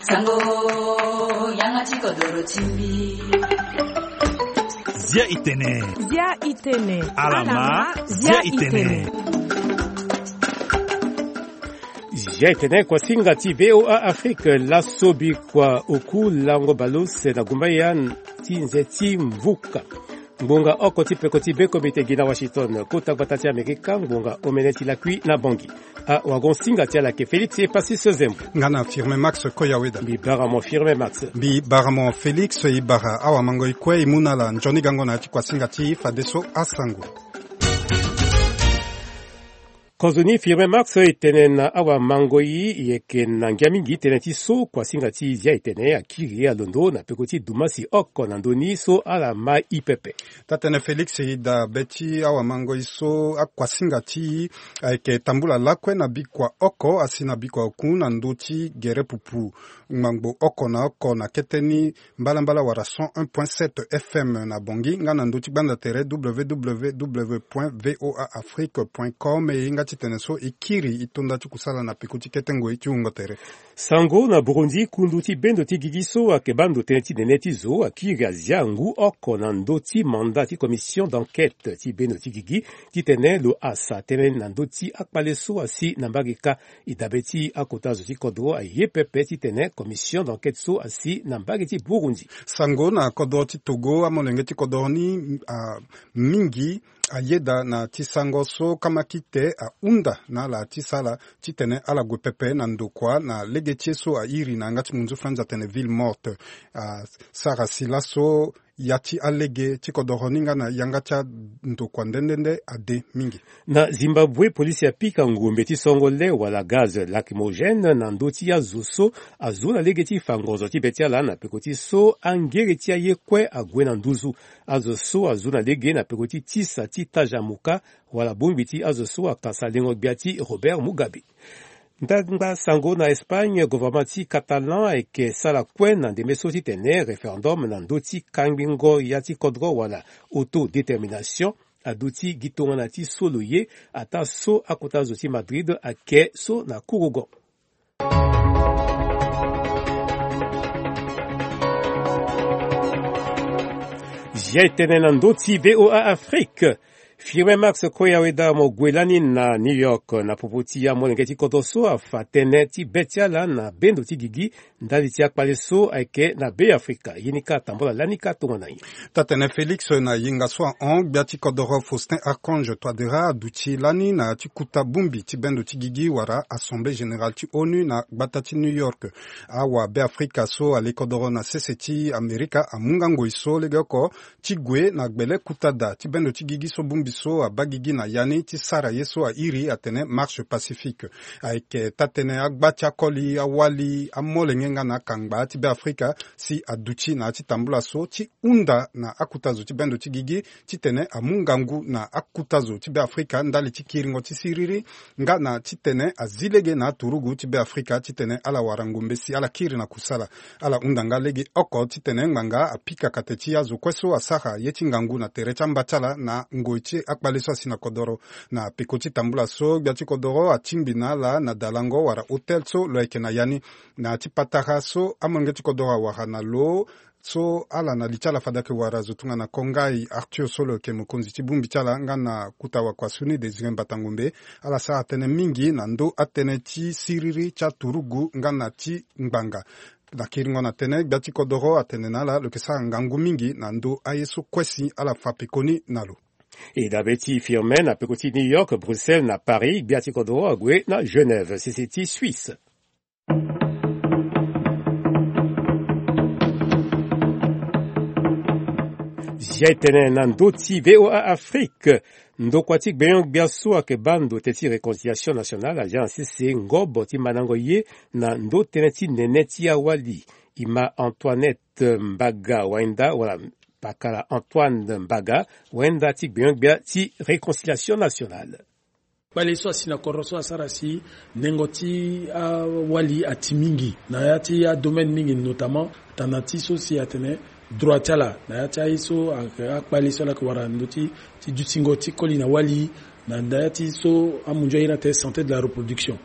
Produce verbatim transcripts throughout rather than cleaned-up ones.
Sango, yanga ti kodoro ti mbi. Zia itene. Zia itene. Alama, zia itene. Zia itene, kuasinga ti VOA Afrique, laso bikua oku lango bale use na gumbaya ti nze ti mvuka. Ngbonga oko ti peko ti be komite gi na Washington, kota gbata ti Amerika, ngbonga omene ti lakui na Bangui. Awagonsinga ti ala ayeke Félix Epasis Zembo. Nga na Firmin Max Koyaweda. Mbi bara mo Firmin Max. Mbi bara mo Félix, e bara awamango e kue e mu na ala nzoni gango na ya ti kuasinga ti e fadeso asango. Kozoni Firmin Max, e tene na awamango e, e yeke na ngia mingi tënë ti so kuasinga ti Zia itene akiri alondo na peko ti dumasi oko na ndö ni so ala ma e pepe. Taa-tënë Félix, e daa be ti awamango e so akuasinga ti e ayeke tambula lakue na bikua oko asi na bikua oku na ndö ti gere pupu ngbangbo oko na oko na kete ni, mbalambala wala cent un point sept F M na Bangui, nga na ndö ti gbanda tere www point voa afrique point com. E hinga ti tene so e kiri e to nda ti kusala na peko ti kete ngoi ti wungo tere. Sango na Burundi, kundu ti bendo ti gigi so ayeke baa ndo tënë ti nene ti zo akiri azia ngu oko na ndö ti mandat ti commission d'enquête ti bendo ti gigi, titene lo asa tënë na ndö ti akpale so asi na mbage kâ. E dabe ti akota zo ti kodro aye pepe titene commission d'enquête so asi na mbage ti Burundi. Sango na kodro ti Togo, amolenge ti kodro ni, a, mingi ayeda na ti sango so kamakite ahunda na ala ti sara titene ala gue pepe na ndokua na lege ti ye so airi na yanga ti munzu franzi atene ville morte. A, sara si laso ya ti alege ti kodoro ni nga na yanga ti andokua nde nde nde ade mingi. Na Zimbabwe, polisi apika ngombe ti songo le wala gaz lacrymogène na ndö ti azo so azo na lege ti fa ngonzo ti be ti ala na peko ti so angere ti aye kue ague na nduzu. Azo so azo na lege na peko ti tisa ti taja muka wala bongbi ti azo so akasa lengo gbia ti Robert Mugabe. Ndangba sango na Espagne, gouvernement ti Catalan ayeke sara kue na ndembe so titene référendum na ndö ti kangbingo ya ti kodro wala autodétermination aduti gi tongana ti so lo ye, ataa so akota zo ti Madrid ayeke so na kurugo. Zia e tene na ndö ti VOA Afrique. Firmin Max Koyaweda mo gue lani na New York na popo ti amolenge ti kodro so afa tënë ti be ti ala na bendo ti gigi ndali ti akpale so ayeke na Be Afrika. Ye ni kâ atambola lani kâ tongana nyen? Taa-tënë Félix, na yenga so ahon, gbia ti kodoro Faustin Archange Touadéra aduti lani na ya ti kuta bongbi ti bendo ti gigi wala Assemblée Générale ti ONU na gbata ti New York. Awa Be Afrika so ale kodoro na sese ti Amerika amu nga ngoi so legeoko ti gue na gbele kuta daa ti bendo ti gigi so bongbi so abaa gigi na ya ni ti sara ye so airi atene marche pacifique. Ayeke taa-tënë agba ti akoli, awali, amolenge nga na akangba ti Be Afrika si aduti na ya ti tambula so ti hunda na akota zo ti bendo ti gigi titene amu ngangu na akota zo ti Be Afrika ndali ti kiringo ti siriri nga na titene azi lege na aturugu ti Be Afrika titene ala wara ngombe si ala kiri na kusala. Ala hunda nga lege oko titene ngbanga apika kate ti azo kue so asara ye ti ngangu na tere ti amba ti ala na ngoi ti akpale so asi na kodoro. Na peko ti tambula so, gbia ti kodoro atingbi na ala na dalango wala hôtel so lo yeke na ya ni. Na ya ti patara so amolenge ti kodoro awara na lo, so ala na li ti ala fade ayeke wara zo tongana Kongai Arthur so lo yeke mokonzi ti bongbi ti ala nga na kota wakua so ni Désiré Mbata Ngombe, ala sara tënë mingi na ndö atënë ti siriri ti aturugu nga na ti ngbanga. Na kiringo na tënë, gbia ti kodoro atene na ala lo yeke sara ngangu mingi na ndö aye so kue si ala fa pekoni na lo. E dabe ti Firmin na peko ti New York, Bruxelles na Paris, gbia ti kodoro ague na Genève, sese ti Suisse. Zia e tene na ndö ti VOA Afrique. Ndokua ti gbenyo-gbia so ayeke baa ndo tënë ti réconciliation nationale azia na sese ngobo ti mandango ye na ndo tënë ti nene ti awali. E ma Antoinette Mbaga Wainda wala pakala Antoine Mbaga Wainda ti gbenyo-gbia ti réconciliation nationale. Kpale so asi na kodro so asara si nengo ti awali ati mingi na ya ti adomaine mingi, notamment tana ti so si atene droit ti ala na ya ti aye so ayeke akpale so ala yeke wara na ndö ti, ti dutingo ti koli na wali, na ya ti so amunzu aye ni atene santé de la reproduction.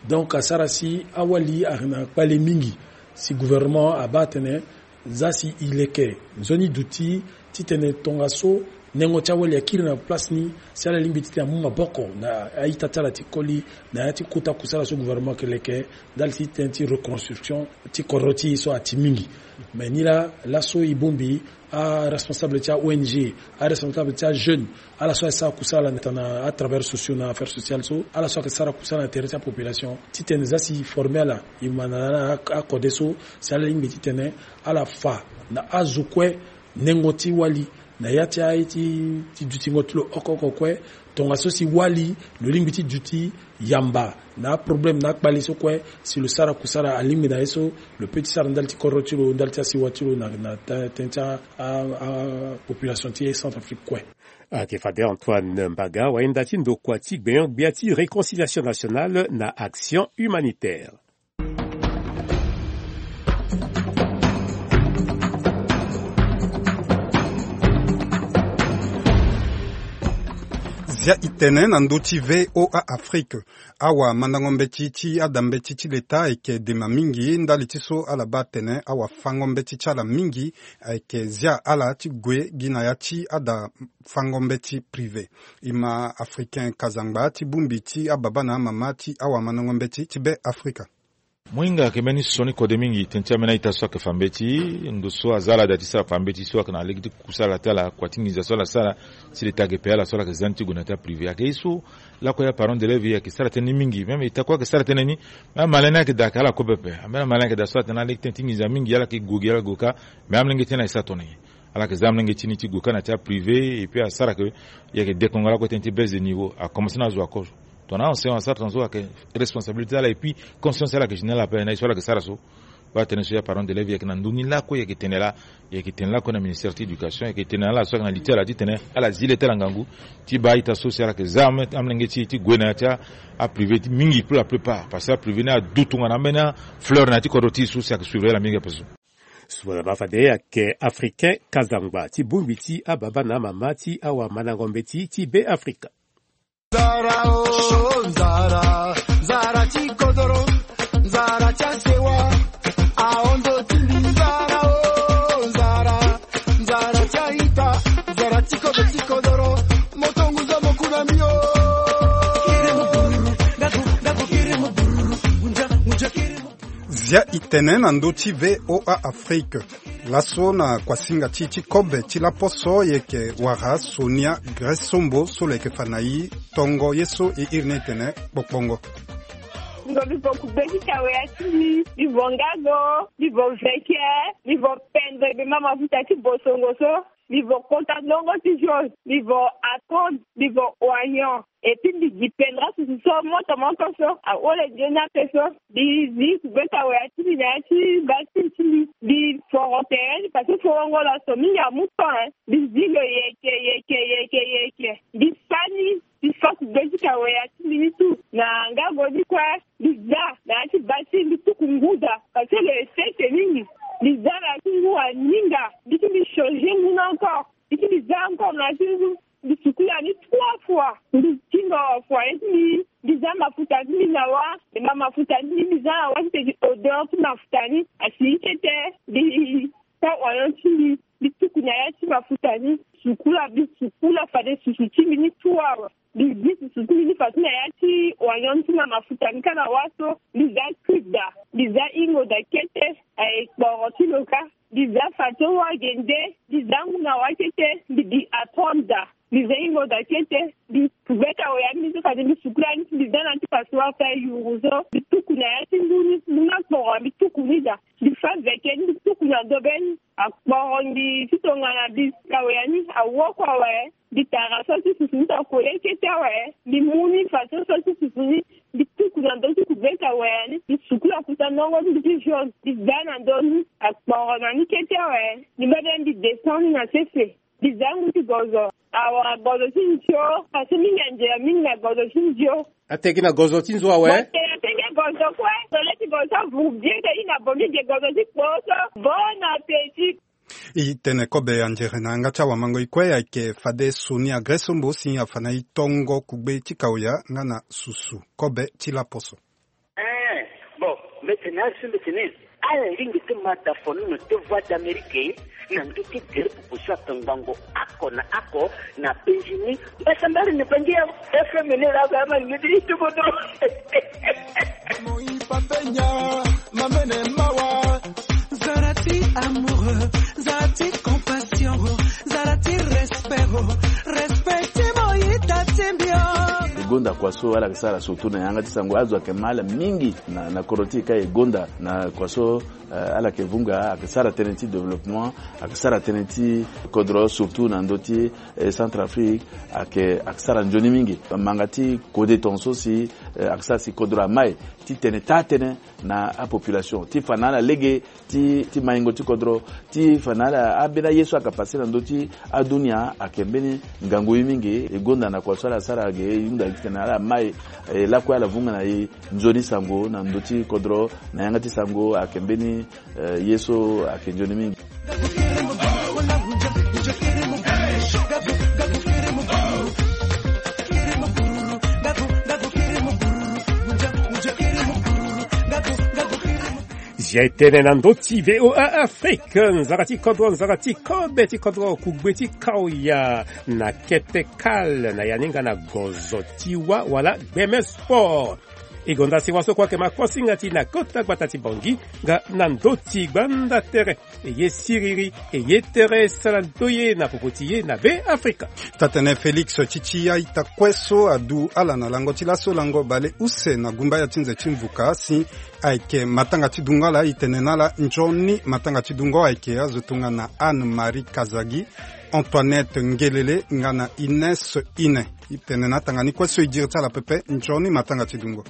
Donc asara si awali ayeke na kpale mingi. Si gouvernement abaa atene za si e leke nzoni duti titene tongaso nengo ti awali akiri na place ni, si ala lingbi titene amu maboko na a-ita ti ala ti koli na ya ti kota kusala so gouvernement ayeke leke ndali ti tënë ti reconstruction ti kodro ti e so ati mingi. Mais ni laa laso e bongbi aresponsable ti a-ong, aresponsable ti ajeune, ala so ayeke sara kusala na tana atravers sociaux na affaire sociale so, ala so ayeke sara kusala na tere ti apopulation titene za si e forme ala, e ma na akode so si ala lingbi titene ala fa na azo kue nengo ti wali na ya ti aye ti dutingo ti lo oko oko kue. Tongaso si wali lo lingbi ti duti yamba na aproblème na akpale so kue, si lo sara kusala alingbi na ye so lo pe ti sara ndali ti kodro ti lo, ndali ti asiwa ti lo na tënë ti apopulation ti Centrafrique kue. Ayeke fade Antoine Mbaga, wayenda ti ndokua ti gbenyo-gbia ti Réconciliation Nationale na Action Humanitaire. Zia e tene na ndö ti V O A Afrique. Awamandango mbeti ti ada mbeti ti leta ayeke dema mingi ndali ti so ala baa atene awafango mbeti ti ala mingi ayeke zia ala ti gue gi na ya ti ada fango mbeti privé. E ma Africain Kazangba ti bongbi ti ababa na amama ti awamandango mbeti ti Be Afrika. Mo hinga ayeke mbeni sioni kode mingi tënë ti ambeni a-ita so ayeke fa mbeti. Ndo so aza ala daa ti sara fa mbeti so ayeke na lege ti kusala ti ala kua ti nginza so ala sara. Si leta ayeke pe ala so ala yeke za ni ti gue na ya ti aprivé ayeke ye so lakue ya parent d'élève ayeke sara tënë ni mingi. Même eta kue ayeke sara tënë ni. Même amalin ni ayeke daa ayeke ala kue pepe. Ambeni amalin ayeke daa so atene na lege tënë ti nginza mingi ala yeke gue gi ala gue kâ. Mais amolenge ti ni ayeke sara tongana nyen? Ala yeke za amolenge ti ni ti gue kâ na ya ti aprivé et puis asara ke e yeke dekongo lakue tënë ti baisse de niveau. Akomanse na azo akoro. Tongana enseignant asara tongaso ayeke responsabilité ti ala et puis conscience ti ala ayeke générale ape na ye so ala yeke sara so. Baa tënë so ya parent d'élève e yeke na ndö ni lakue e yeke tene laa. E yeke tene lakue na ministère ti éducation e yeke tene na ala so ayeke na li ti ala titene ala zi le ti ala ngangu ti baa a-ita so si ala yeke za amolenge ti e ti gue na ya ti aprivé ti mingi pour la plupart parce que aprivé ni adu tongana ambeni afleur na ya ti kodro ti e so si ayeke suivre ala mingi ape so. Sua na baa fade ayeke Africain Kazangba ti bongbi ti ababa na amama ti awamandango mbeti ti Be Afrika. Nzara o, nzara, nzara ti kodoro, nzara ti asewa, ahon ndo ti mbi. Nzara o, nzara, nzara ti a-ita, nzara ti kobe ti kodoro, mo tongo nza mo ku na mbi o. Zia e tene na ndö ti V O A Afrique. Laso na kuasinga ti e ti kobe ti laposo e yeke wara Sonia Gressombo so lo yeke fa na e tongo ye so e iri ni e tene kpokpongo. Ngo mbi vo kugbe ti kawea ti mbi, mbi vo ngago, mbi vo veke, mbi vo pendre gbe ma mafuta ti bosongo so. Mbi vo kota ndongo ti jaune, mbi vo atonde, mbi vo oignon. Et puis mbi gi pendra susu so moto moto so ahole nzoni ape so. Mbi zi kugbe kawea ti mbi na ya ti basine ti mbi. Mbi foro tere ni parce que forongo laso mingi amu temps, hein. Mbi zi lo yeke, yeke, yeke, yeke. Mbi fa ni, mbi fa kugbe ti kawea ti mbi ni tout na ngago ni kue. Mbi za na ya ti basine, mbi tuku ngu daa parce que lo ye sese mingi. Mbi za na ya ti ngu aninga, mbi ti mbi changer ngu ni encore. Mbi ti mbi za encore na ya ti ngu. Mbi sukula ni trois fois. Mbi ti ndo fua ye ti mbi, mbi za mafuta ti mbi na wâ. E ma mafuta ti mbi, mbi za na wâ titene gi odeur ti mafuta ni asi kete. Mbi ta oignon ti mbi, mbi tuku na ya ti mafuta ni. Sukula, mbi sukula fade susu ti mbi ni trois fois. Mbi zi susu ti mbi ni fadeso na ya ti oignon ti na mafuta ni kâ na wâ so. Mbi za cube daa, mbi za hingo daa kete. Aye kporo ti lo kâ. Mbi za fadeso wâ gende, mbi za ngu na wâ kete. Mbi gi atonde daa, mbi za hingo daa kete. Mbi kugbe kawea ni so fade mbi sukula ni, mbi za na ya ti passoire ti ayuru so. Mbi tuku na ya ti ngu ni, ngu ni akporo, mbi tuku ni daa. Mbi fa veke ni, mbi tuku na dobe ni. Akporo ngi ti tongana mbi kawea ni awoko awe. Mbi tara so ti susu ni so akole kete awe. Mbi mu ni fadeso so ti susu ni. Mbi tuku na ndö ti kugbe kawea ni. Mbi sukula kuta ndongo ti mbi ti jaune. Mbi za na ndö ni. Akporo na ni kete awe. Mbi mbebe mbi descend ni na sese. Mbi za ngu ti gozo. Awa gozo ti nzio. Parce que mingi anzela mingi na gozo ti nzio. Ategi na gozo ti nzo awe. Bon, te ategi gozo kue. Tole ti gozo avuru bien te i na bongi ge gozo ti kpo so. Bon appétit. E tene kobe anzere na yanga ti awamango e kue ayeke fade Sonia Gressombo si afa na e tongo kugbe ti kawea nga na susu kobe ti laposo. Mbete na azo mbete na ala lingbi ti ma da fonono ti Voix d'Amérique na ndö ti gere pupu so ake ngbongo oko na oko na Benjini. Mbasambari na bangi ya F M ni la ga ma ni ti tubodo. Moi papenya, mamene mawa. Zara ti amoureux, zara ti compassion, zara ti respect, respect ti moi tatimbio. E gonda kua so ala yeke sara surtout na yanga ti sango, azo ayeke ma ala mingi na, na kodro ti e ka e gonda na kua so, eh, ala yeke vunga, ayeke sara tënë ti développement, ayeke sara tënë ti kodro surtout na ndö ti, eh, Centrafrique, ayeke, ayeke sara nzoni mingi. Manga ti kode tongaso si, eh, ayeke sara si kodro amai ti tene taa tënë na apopulation ti fa na ala lege ti, ti maingo ti kodro, ti fa na ala ambeni aye so ayeke passe na ndö ti adunia ayeke mbeni ngangu ye mingi. E gonda na kua so ala sara ge, e hunda gi titene ala mai, e lakue ala vunga na e nzoni sango na ndö ti kodro, na yanga ti sango ayeke mbeni, eh, ye so ayeke nzoni mingi. Zia e tene na ndö ti V O A Afrique, nzara ti kodro, nzara ti kobe ti kodro, kugbe ti kaoya na kete kale na ya ni nga na gozo ti wa wala gbeme sport. E gonda si wa so kue ayeke ma kosinga ti na kota gbata ti Bangui nga na ndö ti gbanda tere. E ye siriri, e ye tere sara ndoye na popo ti ye na Be Afrika. Tatene Félix ti ti ya ita kue so adu ala na lango ti laso lango bale use na gumbaya ti nze ti mvuka si ayeke matanga ti dungo ala, e tene na ala nzoni matanga ti dungo ayeke azo tongana Anne Marie Kazagi, Antoinette Ngelele nga na Ines Ine. E tene na atanga ni kue so e diri ti ala pepe nzoni matanga ti dungo.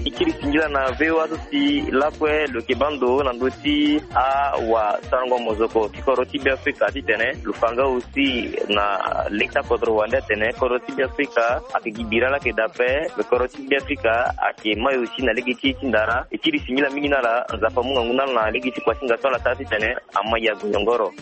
E kiri singila na V O A so si lakue lo yeke baa ndo na ndö ti awasarango mozoko ti kodro ti Be Afrika titene lo fa nga aussi na leta kodro wande atene kodro ti Be Afrika ayeke gi bira laa ayeke daa ape. Me kodro ti Be Afrika ayeke mai aussi na lege ti e ti ndara. E kiri singila mingi na ala, Nzapa amu ngangu na ala na lege ti kuasinga so ala sara titene amai ya gonyongoro.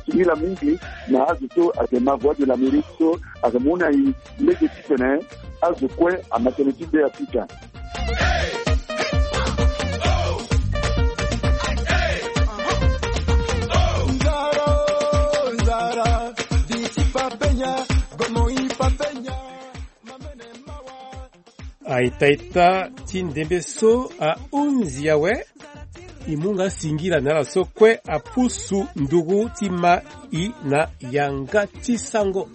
Singila mingi na azo so ayeke ma Voix de l'Amérique so ayeke mu na e lege titene azo kue ama tënë ti Be Afrika. Aita ita ti ndembe so ahunzi awe. E mu nga singila na ala so kue apusu nduru ti ma e na yanga ti sango.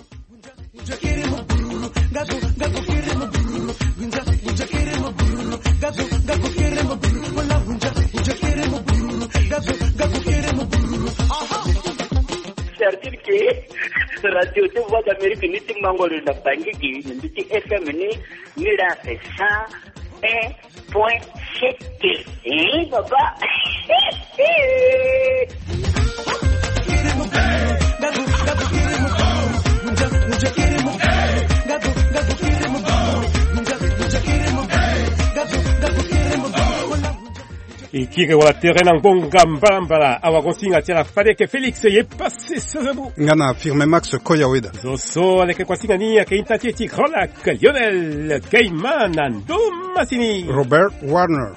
C'est-à-dire que radio ti Voix d'Amérique ni ti mango lo na Bangui gi, ni ti F M ni, ni la c'est cent un point sept. Eh, papa. E kiri wala tere na ngbonga mbalambala, awagonsinga ti ala fade yeke Félix ye passe serebu. Nga na Firme Max Koyaweda. Zo so aleke kuasinga ni ayeke ita ti e ti Grand Lac, Lionel Gaiman na ndo masini. Robert Warner.